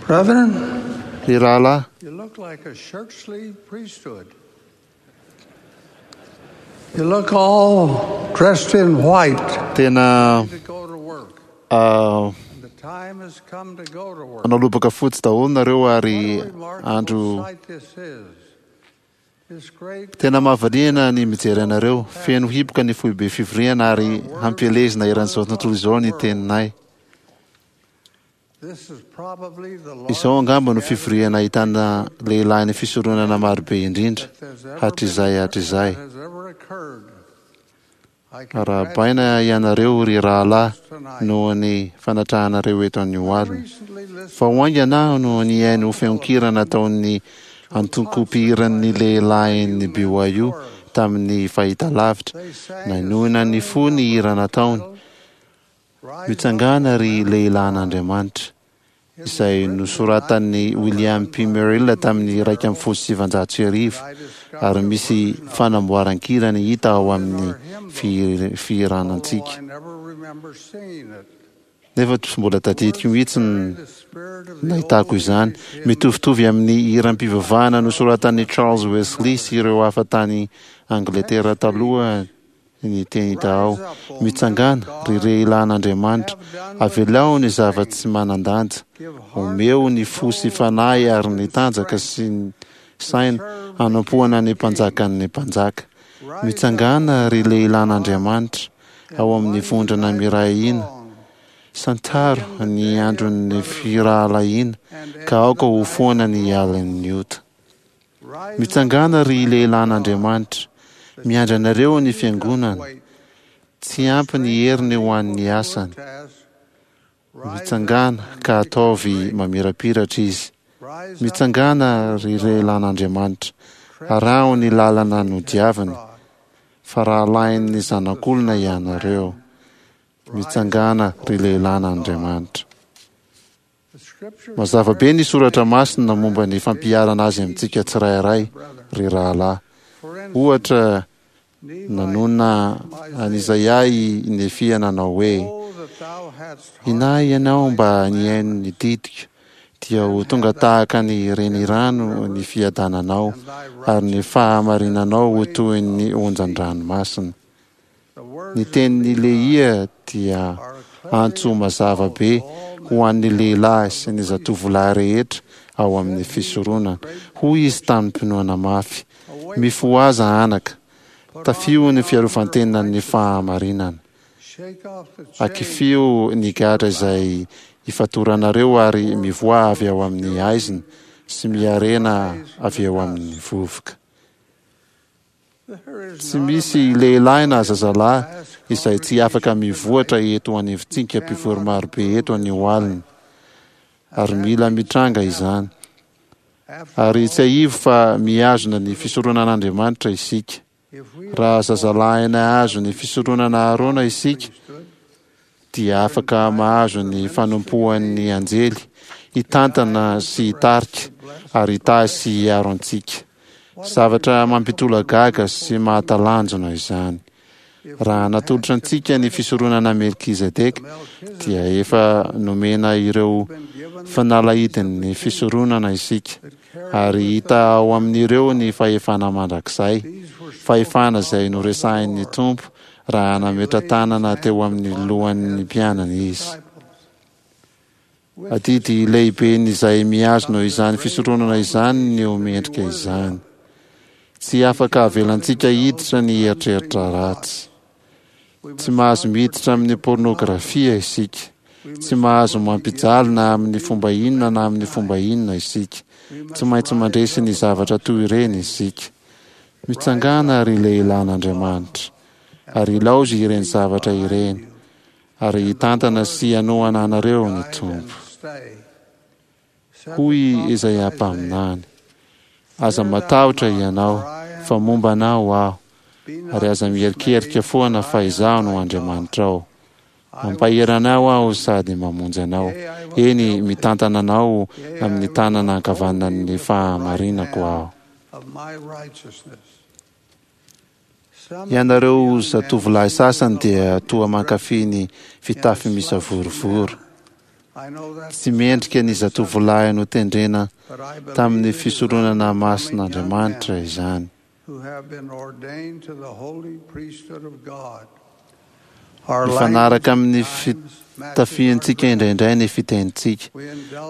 Brethren, Ry rahalahy, you look like a shirt sleeve priesthood. You look all dressed in white tena to go to work. ah, And the time has come to go to work. manao lobaka fotsy daholo nareo ary What a remarkable andro sight this is. This great tena mahavariana ny mijery anareo. Feno hiboka ny foibe fivoriana ary hampielezina eran'izao tontolo izao ny teninay. This is probably the Izao largest angamba no gathering fivoriana ahitana lehilahy ny fisoronana marobe indrindra that there's ever hatrizay been- hatrizay. that has ever occurred. I Arahabaina ianareo ry rahalahy noho ny fanatrahanareo eto anio alina. recently listened Vao haingana aho no nihaino feon-kira nataon'ny antoko-mpihiran'ny lehilahin'ny BYU tamin'ny fahitalavitra. Nanohina ny fo ny hira nataony. Rise Mitsangàna ry lehilahin'Andriamanitra, izay nosoratan'ny William P. Merrill tamin'ny 1911 ary misy fanamboaran-kira ny hita ao amin'ny fihir- fihiranantsika. I never remember seeing it. Nefa tsy mbola tadidiko mihitsy ny The spirit of the nahitako izany. Mitovitovy amin'ny hiram-pivavahana nosoratan'i Charles Wesley sy ireo hafa tany Angletera taloha ny teny hita ao. Mitsangàna, ry lehilahin'Andriamanitra, avelao ny zava-tsy manan-danja. Omeo ny fo sy fanahy ary ny tanjaka sy ny saina hanompoana ny mpanjakan'ny mpanjaka. Mitsangàna, ry lehilahin'Andriamanitra, ao amin'ny vondrona miray hina. Santaro ny andron'ny firahalahiana ka aoka ho foana ny alin'ny ota. Mitsangàna ry lehilahin'Andriamanitra, miandry anareo ny fiangonana. Tsy ampy ny heriny ho an'ny asany. Mitsangàna ka ataovy mamirapiratra izy. Mitsangàna ry lehilahin'Andriamanitra, araho ny lalana nodiaviny, fa rahalahin'ny zanak'olona ianareo. Mitsangàna ry lehilahin'Andriamanitra. Mazava be ny soratra masina momba ny fampiharana azy amintsika tsirairay, ry rahalahy. Ohatra, nanonona an'Izaia i Nefia nanao hoe: Inahy ianao mba nihaino ny didiko, dia ho tonga tahaka ny renirano ny fiadananao, ary ny fahamarinanao ho toy ny onjan-dranomasina. Ny tenin'i Lehia dia antso mazava be ho an'ny lehilahy sy ny zatovolahy rehetra ao amin'ny fisoronana. Hoy izy tamim-pinoana mafy: Mifohaza anaka, tafio ny fiarovan-tenan'ny fahamarinana. Shake off the chains Akifio ny gadra izay ifatoranareo ary mivoaha avy ao amin'ny haizina sy miarena avy eo amin'ny vovoka. There is Tsy not a misy man lehilahy na zazalahy izay tsy afaka mivoatra eto anivontsika mpivory marobe eto anio alina, ary mila mitranga izany. after Ary tsiahivo fa mihazona ny fisoronan'Andriamanitra isika. if we Raha zazalahy nahazo ny fisoronana Arona isika, dia afaka mahazo ny fanompoan'ny anjely, hitantana sy hitarika, ary hitahy sy hiaro antsika. Zavatra mampitolagaga sy mahatalanjona izany. Raha natolotra antsika ny fisoronana Melkizedeka, dia efa nomena ireo fanalahidin'ny fisoronana isika, ary hita ao amin'ireo ny fahefana mandrakizay, fahefana izay noresahin'ny Tompo raha nametra-tanana teo amin'ny lohan'ny mpianany izy. Adidy lehiben'izay mihazona izany fisoronana izany ny ho mendrika izany. Tsy afaka avelantsika hiditra ny eritreritra ratsy. Tsy mahazo miditra amin'ny pornografia isika. Tsy mahazo mampijaly na amin'ny fomba inona na amin'ny fomba inona isika. Tsy maintsy mandresy ny zavatra toy ireny isika. Mitsangàna ry lehilahin'Andriamanitra, ary ilaozy ireny zavatra ireny, ary hitantana sy hanohana anareo ny Tompo. stay. Hoy Izaia mpaminany: Aza matahotra ianao, fa momba anao aho, ary aza mierikerika foana fa izaho no Andriamanitrao. Mampahery anao aho sady mamonjy anao. Eny, mitantana anao amin'ny tanana ankavanan'ny fahamarinako aho. Of my righteousness. Some Ianareo zatovolahy sasany dia toa mankafy ny fitafy misavorovoro. Tsy mendrika ny zatovolahy notendrena tamin'ny fisoronana masin'Andriamanitra izany. Mifanaraka amin'ny fitafiantsika indraindray ny fitenintsika.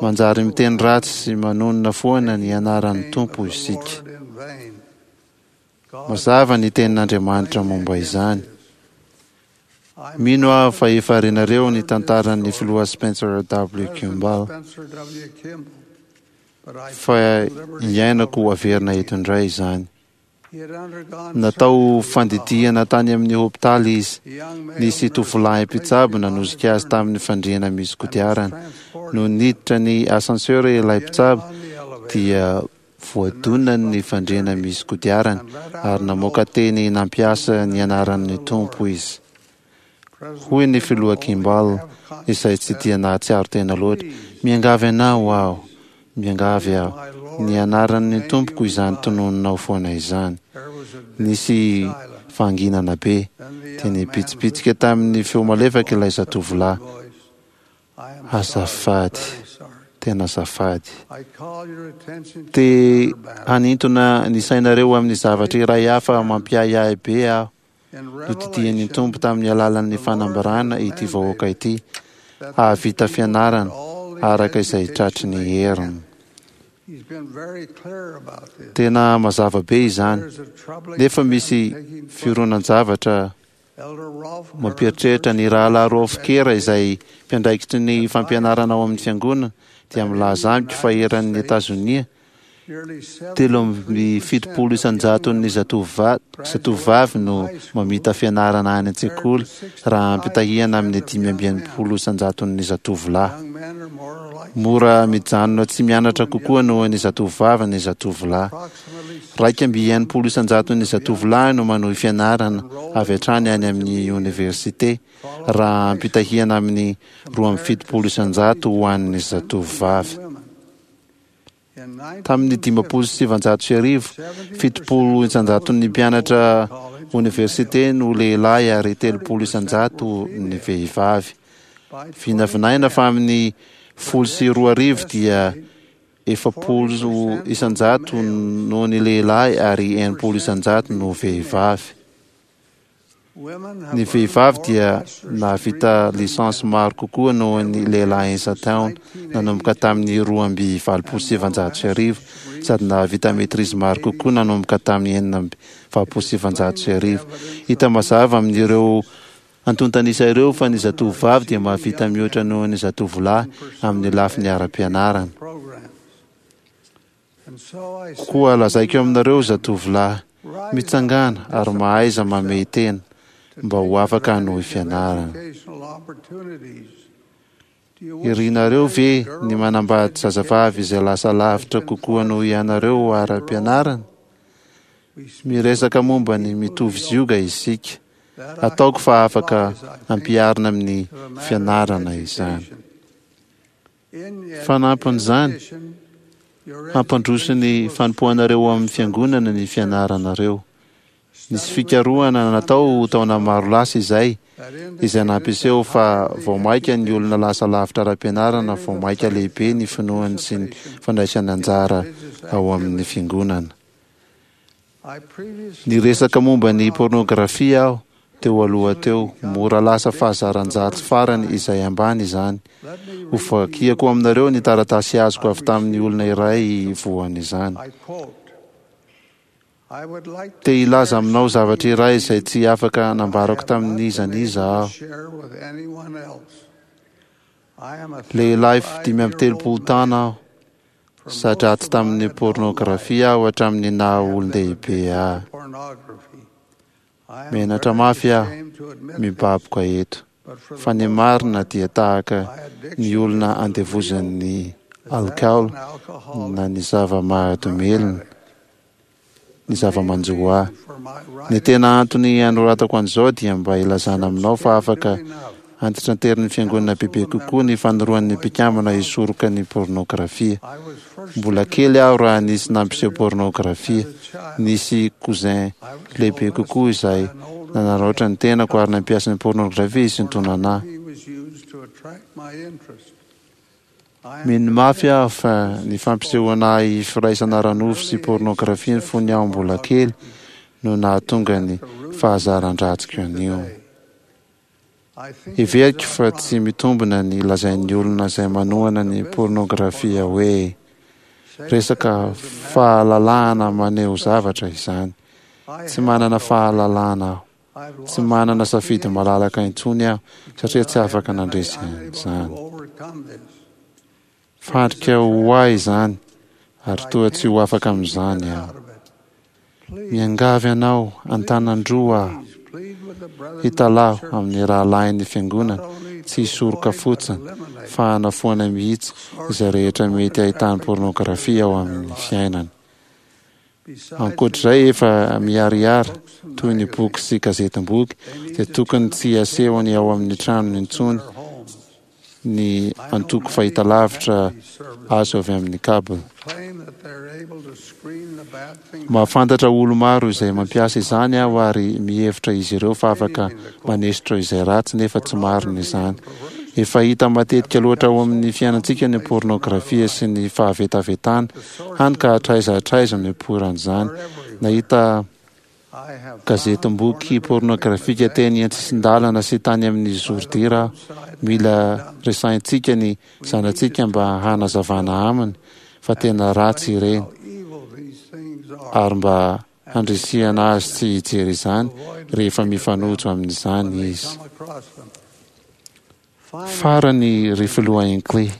Manjary miteny ratsy sy manonona foana ny anaran'ny Tompo isika. Mazava ny tenin'Andriamanitra momba izany. Mino aho fa efa renareo ny tantaran'ny filoha Spencer W. Kimball, fa iainako averina eto indray izany. Natao fandidiana tany amin'ny hopitaly izy. Nisy tovolahy mpitsabo nanosika azy tamin'ny fandriana misy kodiarana. Nony niditra ny ascenseur ilay mpitsabo dia voadonany ny fandriana misy kodiarana ary namoaka teny nampiasa ny anaran'ny Tompo izy. Hoy ny filoha Kimball, izay tsy dia nahatsiaro tena loatra, Miangavy anao aho, miangavy aho, ny anaran'ny Tompoko izany tononinao foana izany. Nisy fahanginana be, dia nibitsibitsika tamin'ny feo malefaka ilay zatovolahy. Azafady, tena azafady. Te hanintona ny sainareo amin'ny zavatra iray hafa mampiahiahy be aho. Nodidian'ny Tompo tamin'ny alalan'ny fanambarana ity vahoaka ity hahavita fianarana araka izay tratry ny heriny. Tena mazava be izany, nefa misy fironan-javatra mampieritreritra. Ny Rahalahy Rolf Kerr, izay mpiandraikitry ny fampianarana ao amin'ny fiangonana, dia milaza amiko fa eran'i Etazonia, 73 isan-jaton'ny zatovovavy no mamita fianarana any an-tsekoly raha ampitahiana amin'ny 65 isan-jaton'ny zatovolahy. Mora mijanona tsy mianatra kokoa noho ny zatovovavy ny zatovolahy. 61 isan-jaton'ny zatovolahy no manohy fianarana avy hatrany any amin'ny oniversite raha ampitahiana amin'ny 72 isan-jato ho an'ny zatovovavy. Tamin'ny 1950, 70 isan-jaton'ny mpianatra oniversite no lehilahy ary 30 isan-jato ny vehivavy. Vinavinaina fa amin'ny 2010 dia 40 isan-jato no ny lehilahy ary 60 isan-jato no vehivavy. Ny vehivavy dia nahavita licence maro kokoa noho ny lehilahy isan-taona nanomboka tamin'ny 1982 sady nahavita maîtrise maro kokoa nanomboka tamin'ny 1986. Hita mazava amin'ireo antontan'isa ireo fa ny zatovovavy dia mahavita mihoatra noho ny zatovolahy amin'ny lafiny ara-pianarana. Koa lazaiko aminareo zatovolahy, mitsangàna ary mahaiza mamehy tena mba ho afaka hanohy fianarana. Irinareo ve ny manambady zazavavy izay lasa lavitra kokoa noho ianareo ara-pianarana? Miresaka momba ny mitovy zioga isika. Ataoko fa afaka ampiharina amin'ny fianarana izany. Fanampin'izany, hampandroso ny fanompoanareo ao amin'ny Fiangonana ny fianaranareo. Nisy fikarohana natao taona maro lasa izay, izay nampiseho fa vao mainka ny olona lasa lavitra ara-pianarana vao mainka lehibe ny finoany sy ny fandraisany anjara ao amin'ny Fiangonana. Niresaka momba ny pôrnôgrafia aho teo aloha teo. Mora lasa fahazaran-dratsy farany izay ambany izany. Hovakiako aminareo ny taratasy azoko avy tamin'ny olona iray voan'izany. Te hilaza aminao zavatra iray izay tsy afaka nambarako tamin'iza n'iza aho. Lehilahy 35 taona aho. Za-dratsy tamin'ny pôrnôgrafia aho hatramin'ny naha olon-dehibe ahy. Menatra mafy aho mibaboka eto, fa ny marina dia tahaka ny olona andevozan'ny alikaola na ny zava-mahadomelina ny zava-manjo ahy. Ny tena antony anoratako an'izao dia mba hilazana aminao fa afaka antitranterin'ny Fiangonana bebe kokoa ny fanoroan'ny mpikambana hisoroka ny pôrnôgrafia. Mbola kely aho raha nisy nampiseho pôrnôgrafia. Nisy cousin lehibe kokoa izay nanaraotra ny tenako ary nampiasa ny pôrnôgrafia hisintonana ahy. Mino mafy aho fa ny fampisehoana ahy firaisana ara-nofo sy pôrnôgrafia fony aho mbola kely no nahatonga ny fahazaran-dratsiko anio. Heveriko fa tsy mitombina ny lazain'ny olona izay manohana ny pôrnôgrafia hoe resaka fahalalahana maneho zavatra izany. Tsy manana fahalalahana aho. Tsy manana safidy malalaka intsony aho satria tsy afaka nandresy an'izany. Fandrika ho ahy izany ary toa tsy ho afaka amin'izany aho. Miangavy anao an-tanan-droa aho hitalaho amin'ny rahalahin'ny Fiangonana tsy hisoroka fotsiny fa hanafoana mihitsy izay rehetra mety ahitany pôrnôgrafia ao amin'ny fiainany. Ankoatr'izay efa miharihary toy ny boky sy gazetim-boky dia tokony tsy asehony ao amin'ny tranony intsony ny antoko fahitalavitra azo avy amin'ny cable. Mahafantatra olo-maro izay mampiasa izany aho ary mihevitra izy ireo fa afaka manesotra izay ratsy nefa tsy marina izany. Efa hita matetika loatra ao amin'ny fiainantsika ny pornografia sy ny fahavetavetana, hany ka hatraiza hatraiza no ipoiran'izany. Nahita gazetim-boky pornografika teny an-tsisin-dalana sy tany amin'ny zoridira aho. Mila resahintsika ny zanatsika mba hanazavana aminy fa tena ratsy ireny, ary mba handrisihana azy tsy hijery izany rehefa mifanojo amin'izany izy. Farany, ry Filoha Hinckley,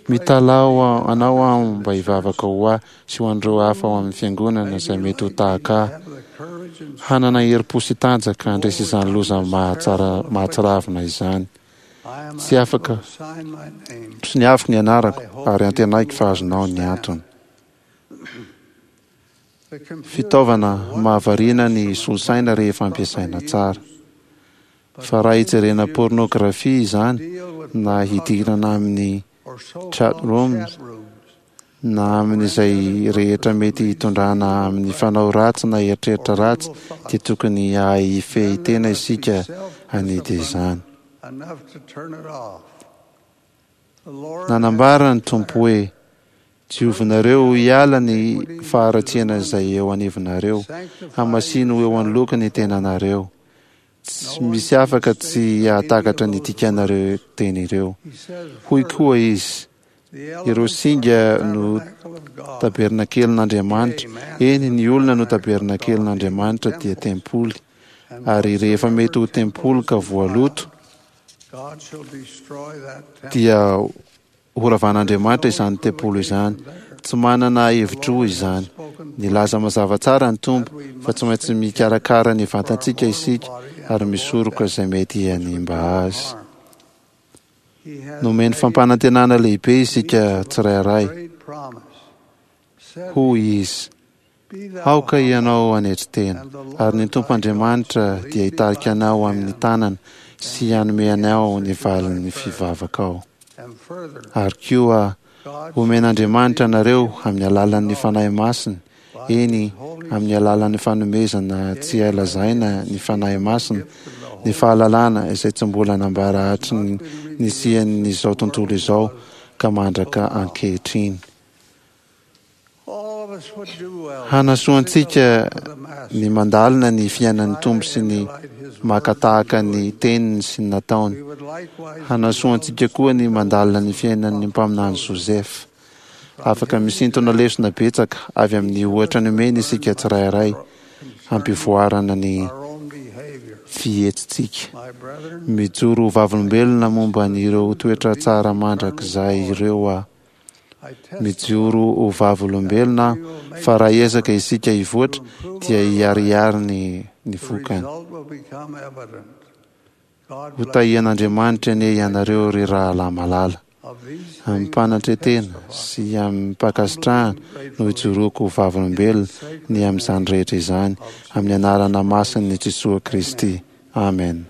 mitalaho anao aho mba hivavaka ho ahy sy ho an'ireo hafa ao amin'ny Fiangonana izay mety ho tahaka ahy, hanana herim-po sy tanjaka handresy izany loza mahatsiravina izany. Tsy afaka soniaviko ny anarako ary antenaiko fa azonao ny antony. Fitaovana mahavariana ny solosaina rehefa ampiasaina tsara. Fa raha hijerena pornographie izany na hidirana amin'ny chat rooms na amin'izay rehetra mety hitondrana amin'ny fanao ratsy na eritreritra ratsy dia tokony hahay hifehy tena isika hanidy izany. Nanambara ny Tompo hoe, Diovinareo hiala ny faharatsiana izay eo anivonareo, hamasino ho eo anoloako ny tenanareo. Tsy misy afaka tsy hahatakatra ny dikan'ireo teny ireo. Hoy koa Izy, Ireo singa no tabernakelin'Andriamanitra, eny, ny olona no tabernakelin'Andriamanitra dia tempoly, ary rehefa mety ho tempoly ka voaloto, dia Horavan'Andriamanitra izany tempoly izany. Tsy manana hevi-droa izany. Nilaza mazava tsara ny Tompo fa tsy maintsy mikarakara ny vatantsika isika ary misoroka izay mety hanimba azy. Nomeny fampanantenana lehibe isika tsirairay. Hoy Izy, Aoka ianao hanetry tena, ary ny Tompo Andriamanitra dia hitarika anao amin'ny tanany sy hanome anao ny valin'ny fivavakao. Ary koa, homen'Andriamanitra anareo amin'ny alalan'ny Fanahy Masiny, eny, amin'ny alalan'ny fanomezana tsy hay lazaina ny Fanahy Masina, ny fahalalana izay tsy mbola nambara hatry ny nisian'izao tontolo izao ka mandraka ankehitriny. Hanasoa antsika ny mandalina ny fiainan'ny Tompo sy ny maka tahaka ny teniny sy ny nataony. Hanasoa antsika koa ny mandalina ny fiainan'ny mpaminany Joseph. Afaka misintona lesona betsaka avy amin'ny ohatra nomeny isika tsirairay hampivoarana ny fihetsitsika. Mijoro ho vavolombelona momba an'ireo toetra tsara mandrakizay ireo aho. Mijoro ho vavolombelona aho fa raha hiezaka isika hivoatra dia hiharihary ny ny vokany. Ho tahian'Andriamanitra anie ianareo ry rahalahy malala. Amim-panatretena sy amim-pankasitrahana no ijoroako ho vavolombelona ny amin'izany rehetra izany, amin'ny anarana masin'i Jesoa Kristy. Amena.